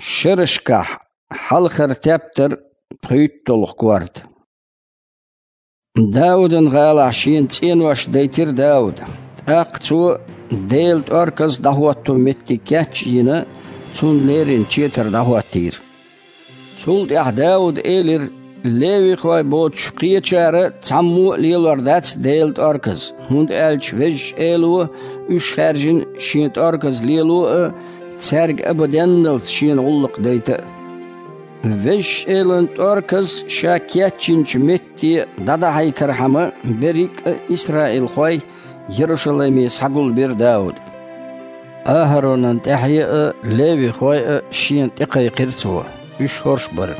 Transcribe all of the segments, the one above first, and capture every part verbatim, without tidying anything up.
Шерашкахь хьалхара тептар, пхийтталгӀа корта. Даудан гӀалахь шена цӀенош дайтира Дауда. ТӀаккха цо Делан тӀорказ дӀахӀотто меттиг кечйина, цунна леррина четар дӀахӀоттийра. Цул тӀаьхьа Дауда элира: «Левихой боцуш кхечара цхьаммо а лелор дац Делан тӀорказ, хӀунда аьлча Везачу Эло уьш хаьржина Шен тӀорказ лело а, цаьрга абаденналц Шена гӀуллакх дайта а». Везачу Элан тӀорказ ша кечйинчу метте дӀадахьийтархьама, берриг а исраилхой Ярушалайме схьагулбира Дауда. АхӀаронан тӀаьхье а, левихой а шена тӀекхайкхира цо, уьш хӀорш бара: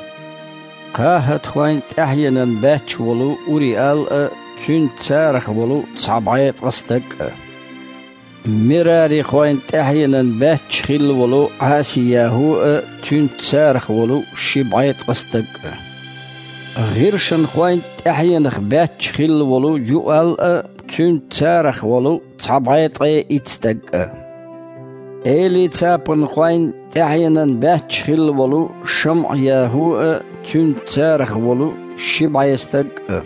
КхахӀатхойн тӀаьхьенан баьчча волу Уриал а, цуьнца царах волу цхьа бӀе ткъа стаг а. Мерарихойн тӀаьхьенан баьчча хилла волу Ӏасияху а, цуьнца царах волу ши бӀе ткъа стаг а. ГӀиршанхойн тӀаьхьенах баьчча хилла волу Юал а, цуьнца царах волу цхьа бӀе ткъе итт стаг а. Элицапанхойн тӀаьхьенан баьчча хилла волу ШамӀаяху а, цуьнца царах волу ши бӀе стаг а.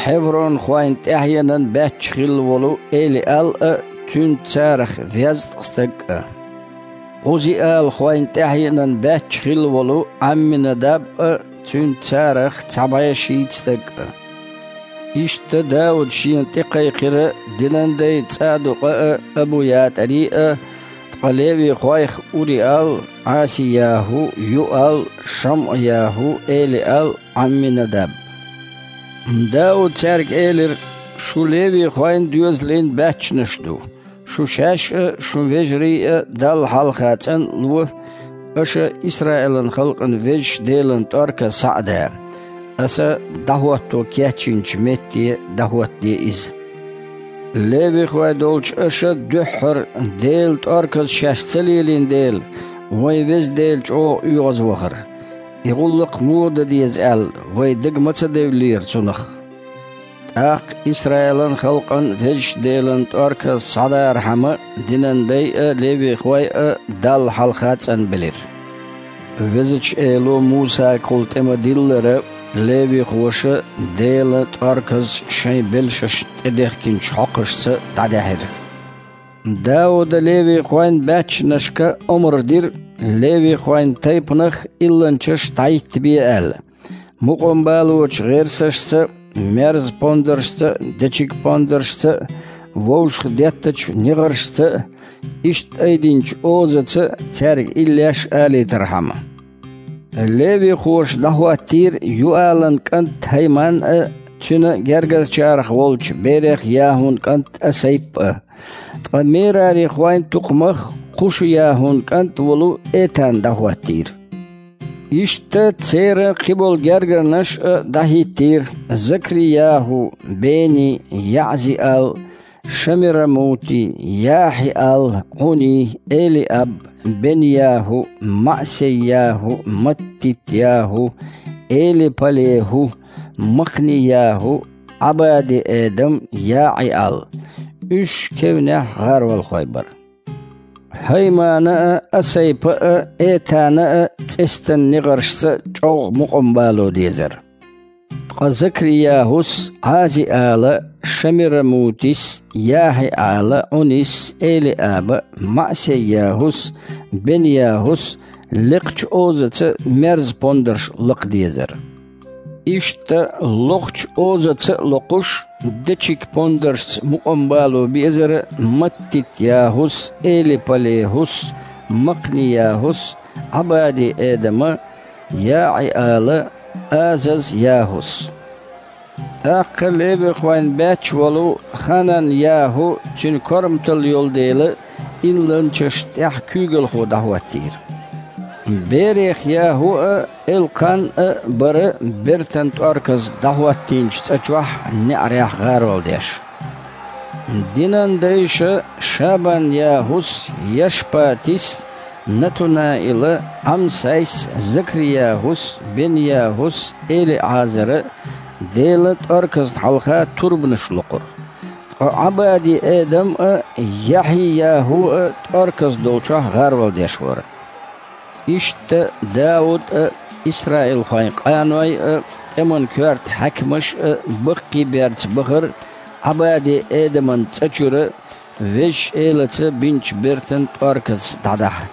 Хьевронхойн тӀаьхьенан баьчча хилла волу Элиал а, цуьнца царах везткъа стаг а. Ӏузиалхойн тӀаьхьенан баьчча хилла волу Ӏамминадаб а, цуьнца царах цхьа бӀе шийтта стаг а. Иштта Дауда шена тӀекхайкхира динан дай ЦӀадукъа а, Абуятари а, ткъа левихойх Уриал, Ӏасияху, Юал, ШамӀаяху, Элиал, Ӏамминадаб. Дауда цаьрга элира: «Шу левихойн доьзалийн баьччанаш ду. Шу шаьш а, шун вежарий а Далла хьалха цӀанло, аша Исраилан халкъан Везачу Делан тӀорказ схьа а да. Аса дӀахӀотто кечйинчу метте дӀахӀоттаде иза. Левихой долчу аша дуьххьара Делан тӀорказ шаьш ца лелийна дела, вайн Веза Дела чӀогӀа оьгӀазвахара. И гӀуллакх муха дан деза аьлла, вай дага ма ца девллера цунах». ТӀаккха Исраилан халкъан Везачу Делан тӀорказ схьадархьама, динан дай а, левихой а Далла хьалха цӀанбелира. Везачу Эло Мусагахула тӀе ма-диллара, левихоша Делан тӀорказ шайн белшаш тӀедехкинчу хьокхашца дӀадаьхьира. Дауда левихойн баьччанашка омра дира, левихойн тайпанах илланчаш дӀахӀиттабе аьлла, мукъамбалочу гӀерсашца, мерза пондаршца, дечиг пондаршца, вовшах деттачу негӀаршца, иштта айдинчу озаца цаьрга иллеш алийтархьама. Левихоша дӀахӀоттийра Юалан кӀант ХӀайман а, цуьнан гергарчарах волчу берех ЯхӀун кӀант Асайп а. Ткъа Мерарихойн тукхамах Кхушу-ЯхӀун кӀант волу Этан дӀахӀоттийра. Иштта церан кхиболу гергарнаш а дӀахӀиттийра: Закри-ЯхӀу, Бени, ЯӀзи-Ал, Шамирамути, ЯхьиАл, Ӏуни, Эли-Аб, Бен-ЯхӀу, МаӀсей-ЯхӀу, Маттит-ЯхӀу, Эли-Палеху, Макхни-ЯхӀу, Ӏабади-Эдам, ЯӀи-Ал. Уьш кевнехь гӀаролхой бара. ХӀаймана а, Асайпа а, Этана а цӀестан негӀаршца чӀогӀа мукъам бало дезара. Ткъа Закри-ЯхӀус, Ӏази-Ала, Шамирамутис, ЯхьиӀала, Ӏунис, Эли-Аба, МаӀсей-ЯхӀус, Бен-ЯхӀус лекхачу озаца мерза пондарш лакха дезара. Иштта лохучу озаца а локхуш, дечиг пондаршца мукъам бало безара Маттит-ЯхӀус, Эли-ПалехӀус, Макхни-ЯхӀус, Ӏабади-Эдама, ЯӀи-Ала, Азаз-ЯхӀус. ТӀаккха левихойн баьчча волу Ханан-ЯхӀу, цуьнан корматалла йолу дела, илланчаш тӀехь куьйгалхо дӀахӀоттийра. Берех-ЯхӀу а, Элкхан а бара бертан тӀорказ дӀахӀоттийначу цӀа чохь неӀарехь гӀарол деш. Динан дайша Шабан-ЯхӀус, Яшпатис, Натунаила, Ӏамсайс, Закри-ЯхӀус, Бен-ЯхӀус, Эли-Ӏазара Делан тӀорказна хьалха турбанаш локхура. Ткъа Ӏабади-Эдам а, Яхьи-ЯхӀу а тӀорказ долчохь гӀарол деш вара. Иштта Дауд а, исраилхойн къаной а, тӀеман коьрта хьаькамаш а баккхийберца бахара Ӏабаде-Эдаман цӀа чура Везачу Элаца бинчу бертан тӀорказ дӀадахьа.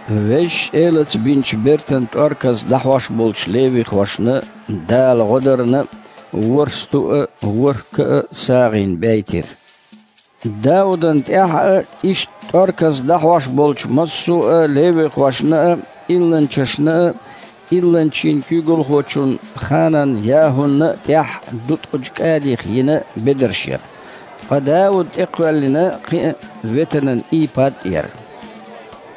Везачу Элаца бинчу бертан тӀорказ дӀахьош болчу левихошна Дала гӀо дарна, ворхӀ сту а, ворхӀ ка а сагӀина бейтира. Даудан тӀехь а, иштта тӀорказ дӀахьош болчу массо а левихошна а, илланчашна а, илланчийн куьйгалхочун Ханан-ЯхӀунна а тӀехь дуткъачу кӀадих йина бедарш яра. Ткъа Дауд тӀекхоьллина кхин а ветанан ийпад а яра.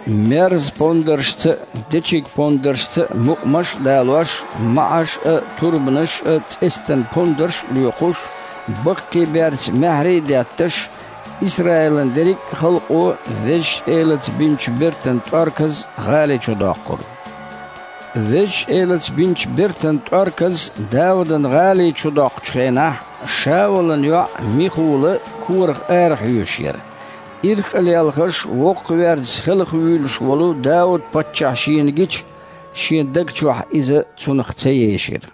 Мерза пондаршца а, дечиг пондаршца а мукъамаш а далош, маӀаш а, турбанаш а, цӀестан пондарш а лоькхуш, баккхийберца маьхьарий а детташ, Исраилан дерриг а халкъо Везачу Элаца бинчу бертан тӀорказ гӀали чу доккхура. Везачу Элаца бинчу бертан тӀорказ Даудан гӀали чу доккхучу хенахь, Шаулан йоӀ Михула корах арахьоьшуш яра. Ирхъа лелхаш, воккхаверза хелхавуьйлуш волу Дауд-паччахь шена гича, шен даг чохь иза цунах ца ешира.